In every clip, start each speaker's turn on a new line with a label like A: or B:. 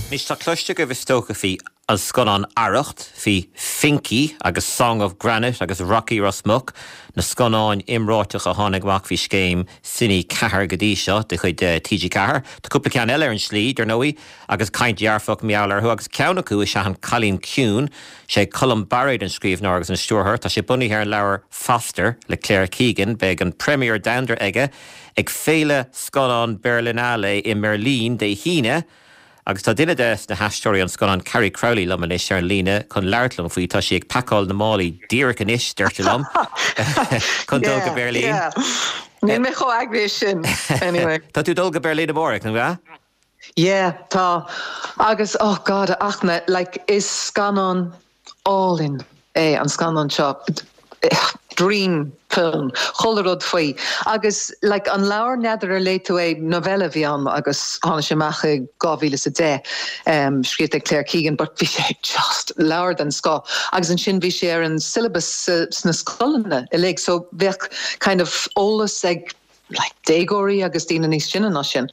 A: Anois tá cloiste agaibh is dócha faoi an scannán Arracht, faoi Finky agus Song of Granite agus Rocky Ros Muc, na scannáin iomráiteacha a tháinig amach faoi scéim Cine 4 go dtí seo de chuid TG4. Tá cúpla ceann eile ar an slí, dar ndóigh, agus caint dhearfach mar gheall orthu agus ceann acu is ea An Cailín Ciúin. Sé Colm Bairéad an scríbhneoir agus an stiúrthóir. Tá sé bunaithe ar an leabhar Foster le Claire Keegan. Beidh an premiere domhanda aige ag Féile Scannán Berlinale i mBeirlín Dé hAoine agus tá duine de na haisteoirí ón scannán, Carrie Crowley, liom anois ar an líne chun labhairt liom faoi. Tá sí ag pacáil na málaí díreach anois, deirtear liom, chun dul go Beirlín.
B: Yeah, yeah. Níl mé chomh eagraithe sin, anyway.
A: Tá tú ag dul go Beirlín amárach, nach ea?
B: Yeah, tá. Agus, oh God, a Fhachtna, like, is scannán álainn é an scannán seo. Dream film, chuile rud faoi. Agus, like, an leabhar, n'fheadar ar léigh tú é, novella a bhí ann agus tháinig sé amach i 2010, um, scríofa ag Claire Keegan, but bhí sé just leabhar den scoth. Agus ansin bhí sé ar an syllabus sna scoileanna uilig, so bheadh kind of eolas ag like déagóirí agus daoine níos sine ná sin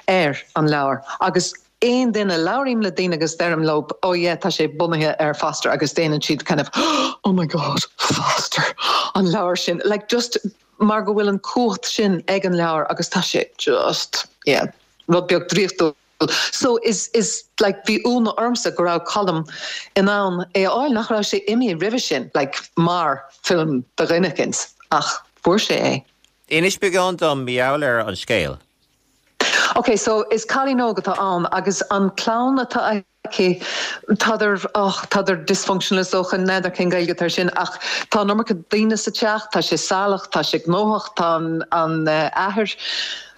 B: ar an leabhar agus aon duine, labhraím le daoine agus deirim leo oh yeah tá sé bunaithe ar Foster agus déanann siad kind of oh my god Foster an leabhar sin like just mar go bhfuil an cumhacht sin ag an leabhar agus tá sé just yeah rud beag draíochtúil. So is is like bhí ionadh ormsa go raibh Colm in ann é a fháil, nach raibh sé imithe roimhe sin like mar film do dhuine eicint ach fuair sé é.
A: Inis beagán dom mar gheall ar an scéal.
B: Ok, so is cailín óg atá ann agus an clann atá aici, tádar, oh, tádar dysfunctional is dócha, n'fheadar cén Gaeilge atá ar sin, ach tá an iomarca daoine sa teach, tá sé salach, tá sé gnóthach, tá an, an athair,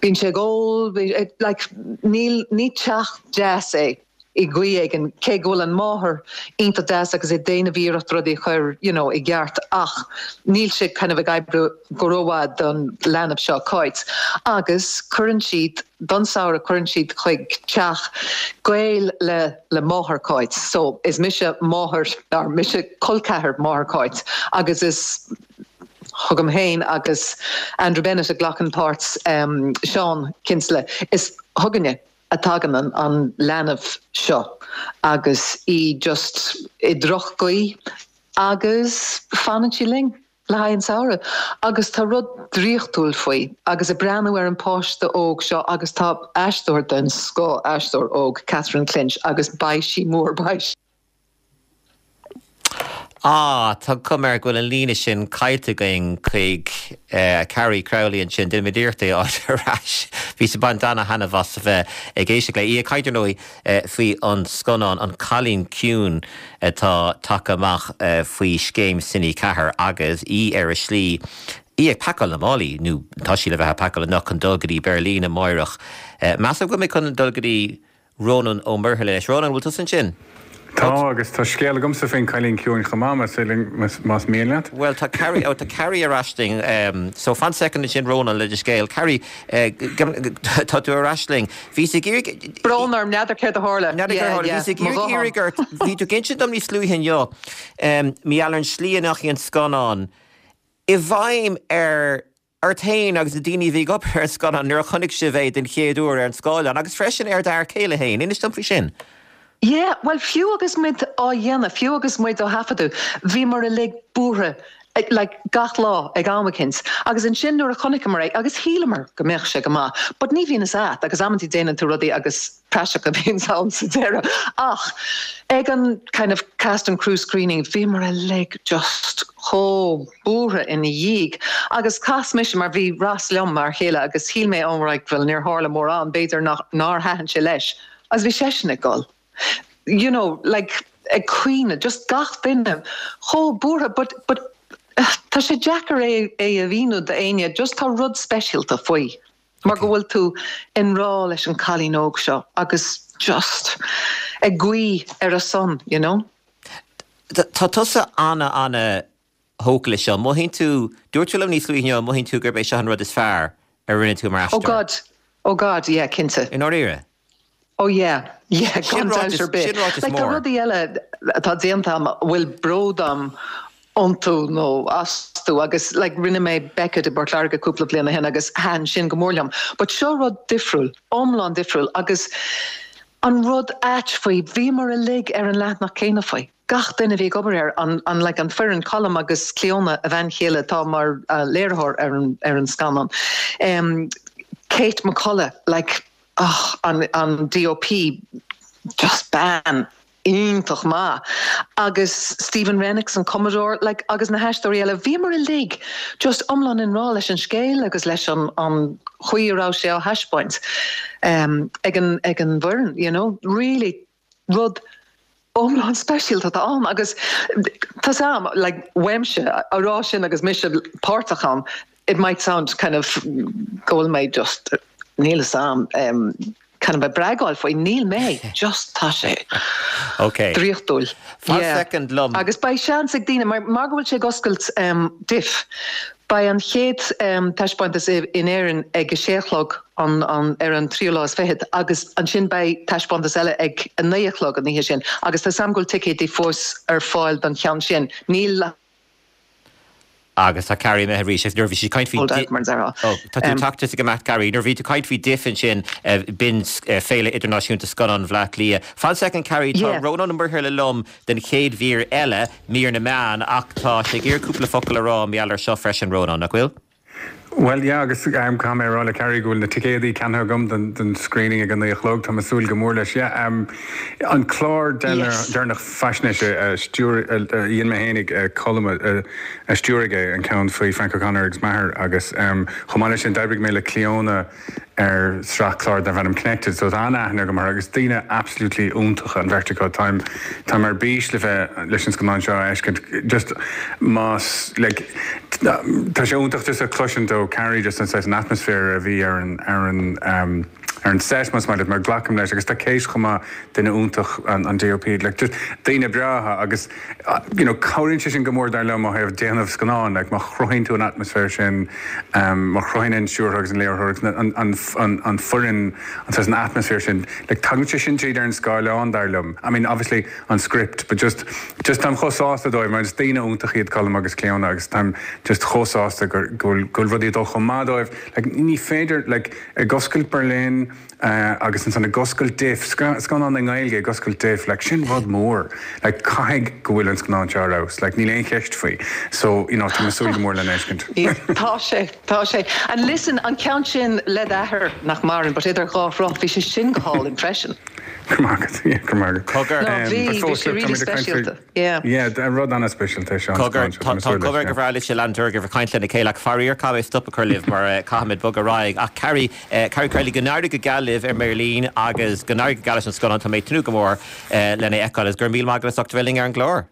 B: bíonn sé ag ól, like, níl, ní teach deas é. i gcaoi éigin, cé go bhfuil an máthair iontach deas agus ag déanamh iarracht rudaí a chur you know i gceart ach níl sé kind of ag oibriú go rómhaith don leanbh seo, Cáit. Agus cuireann siad, don samhradh cuireann siad chuig teach gaol le le máthair Cáit. So is mise máthair, or mise col ceathar máthair Cáit agus is chugam féin agus Andrew Bennett a ghlacann páirt Seán Kinsella, is chugainne. a tagann an leanbh seo agus í just i droch-ghaoi agus fanann sí linn le haghaidh an samhradh agus tá rud draíochtúil faoi agus ag breathnú ar an páiste óg seo agus tá aisteoir den scoth, aisteoir óg, Catherine Clinch agus beidh sí mór, beidh.
A: Ah, tá cuma air go bhfuil an líne sin caillte againn chuig Carrie Crowley ansin. Déanfaimid iarracht é a fháil ar ais. Bhíos ag baint ana-thaitneamh as a bheith ag éisteacht léi. Í ag caint, ar ndóigh, faoi an scannán An Cailín Ciúin atá tagtha amach faoi scéim Cine 4 agus í ar a slí, í ag pacáil na málaí, nó tá sí le bheith ag pacáil anocht chun dul go dtí Beirlín amáireach. Measaim go bhfuil mé chun dul go dtí Rónán Ó Muirthile anois. Rónán, an bhfuil tusa ansin?
C: Tá, agus tá scéal agamsa faoin Cailín Ciúin chomh maith, más mian leat.
A: Bhuel, tá Carrie, oh, tá Carrie ar ais linn. So, fan soicind ansin, Rónán, le do scéal. Carrie, tá tú ar ais linn. Bhíos ag
B: iarraidh. Brón orm, n'fheadar céard a tharla.
A: N'fheadar céard a tharla. Bhíos ag iarraidh ort, bhí tú ag insint dom níos luaithe inniu, mar gheall ar an slí a ndeachaigh an scannán i bhfeidhm ar ort féin agus na daoine a bhí ag obair ar an scannán nuair a chonaic sibh é den chéad uair ar an scáileán agus freisin ar d'fhear céile féin. Inis dom faoi sin.
B: Yeah, bhuel fiú agus muid á dhéanamh, fiú agus muid á thaifeadadh, bhíomar uilig buartha, like gach lá ag am eicínt. Agus ansin nuair a chonaiceamar é, agus shíleamar go mbeadh sé go maith, but ní bhíonn fhios a't agus amantaí déanann tú rudaí agus praiseach a bhíonns ann sa deireadh. Ach ag an kind of cast and crew screening bhíomar uilig just chomh buartha ina dhiaidh. Agus chas mise, mar bhí Ross liom mar chéile agus shíl mé oh right bhuel níor tharla mórán, b'fhéidir nach nár thaitin sé leis. Agus bhí seisean ag gol. You know, like ag caoineadh, just gach duine chomh buartha but but tá sé deacair é é a mhíniú d'éinne, just tá rud speisialta faoi. Mar go bhfuil tú i ngrá leis an cailín óg seo agus just ag guí ar a son, you know.
A: Tá tusa ana, ana thógtha leis seo. Mothaíonn tú, dúirt tú liom níos luaithe inniu, mothaíonn tú gurb é seo an rud is fearr a rinne tú mar
B: aisteoir. Oh God, oh God, yeah, cinnte.
A: I ndáiríre?
B: Oh yeah, yeah, gan dabht ar bith.
A: Sin ráiteas
B: Like, tá
A: mór.
B: rudaí eile atá déanta agam a bhfuil bród agam iontu nó astu agus like rinne mé Beckett i bPort Láirge cúpla bliain ó shin agus thaitin sin go mór liom. But seo rud difriúil, iomlán difriúil agus. An rud ait faoi, bhíomar uilig ar an leathanach céanna faoi. Gach duine a bhí ag obair air, an, an, like, an foireann, Colm agus Clíona, a bhean chéile atá mar léiritheoir ar an, ar an scannán, em, Kate McCullough, like, oh, an, an DOP, just bean iontach maith, agus Stephen Rennicks, an cumadóir, like, agus na haisteoirí eile, bhíomar uilig just iomlán i ngrá leis an scéal agus leis an, an chaoi a raibh sé á thaispeáint um, ag an, ag an bhfoireann, you know, really rud iomlán speisialta atá ann agus tá 's a'm, like, uaimse a rá sin agus mise páirteach ann, it might sound kind of go bhfuil mé just, níl 'fhios a'm, um, kind of ag bragáil faoi, níl mé, just tá sé
A: Ok.
B: draíochtúil.
A: Fan Yeah. soicind liom.
B: Agus beidh seans ag daoine, mar, mar go bhfuil sé ag oscailt um, DIFF, beidh an chéad um, taispeántas i, in Éirinn ag a sé a chlog an, an, ar an tríú lá is fichead agus ansin beidh taispeántas eile ag a naoi a chlog an oíche sin agus tá 's a'm go bhfuil ticéidí fós ar fáil don cheann sin. Níl
A: Agus tá Carrie imithe arís agus nuair a bhí sí ag caint faoi
B: Hold out, mar a déarfá.
A: Ó, tá tú ag teacht is ag imeacht Carrie. Nuair a bhí tú ag caint faoi DIFF ansin, b'in Féile Idirnáisiúnta Scannán Bhaile Átha Cliath. Fan soicind Carrie, tá Rónán Ó Muirthile liom don chéad mhír eile, mír na meán, ach tá sé ag iarraidh cúpla focal a rá mar gheall air seo freisin, Rónán, nach bhfuil?
C: Bhuel, yeah, agus caithfidh mé a rá le Carrie go bhfuil na ticéadaí ceannaithe agam don don screening ag a naoi a chlog. Tá mé ag súil go mór leis. Yeah, an clár deireanach faisnéise a stiúir, a dhein mé fhéinig, Colm a stiúraigh é, an ceann faoi Frank O'Connor agus m'athair agus chomh maith leis sin d'oibrigh mé le Clíona ar sraith clár darbh ainm Connected so tá an-aithne agam orthu agus daoine absolutely iontacha an bheirt acu. Táim táim ar bís le bheith leis an scannán seo a fheiscint just más like tá sé iontach just a chloisint ó Carrie just an saghas an atmaisféar a bhí ar an ar an um, ar an set más maith leat mar glacaim leis agus tá Kate chomh maith duine iontach an an DOP like just daoine breátha agus you know, cabhraíonn sé sin go mór dar liom ó thaobh déanamh scannáin, like má chruthaíonn tú an atmaisféar sin, má chruthaíonn an stiúrthóir agus an léiritheoir agus an, an, an, an foireann an saghas an atmaisféar sin, like tagann sé sin tríd ar an scáileán dar liom. I mean, obviously an script, but just, just táim chomh sásta dóibh mar is daoine iontacha iad Colm agus Clíona agus táim just chomh sásta gur, go bhfuil, go bhfuil rudaí ag dul chomh maith dóibh. Like ní féidir, like ag oscailt Berlin, Agus ansan ag oscailt DIFF, scannán i nGaeilge ag oscailt DIFF, like sin rud mór. Like caithfidh go bhfuil an scannán seo ar fheabhas, like níl aon cheist faoi. So, you know, tá mé ag súil go mór lena fheiscint.
B: Tá sé, tá sé. And listen, an ceann sin le d'athair, nach maireann, but idir dhá shruth, bhí sé sin go hálainn freisin.
C: Go raibh maith agat, yeah, go raibh maith agat.
A: Cogar.
B: No, bhí, bhí sé really speisialta.
C: Yeah. Yeah, rud an-speisialta é seo, an
A: Cogar,
C: scannán seo, tá
A: tá
C: mé ag súil
A: an
C: leis,
A: comhrá
C: yeah.
A: go breá libhse lean ort ag caint lena chéile ach faraor caithfidh mé stop a chur libh mar caithfimid bogadh ar aghaidh. Ach Carrie, Carrie Crowley, go n-éirí go geal libh ar mBeirlín agus go n-éirí go geal leis an scannán, tá mé ag tnúth go mór lena fheiceáil agus go raibh míle maith agat as ucht a bheith linn ar an gclár.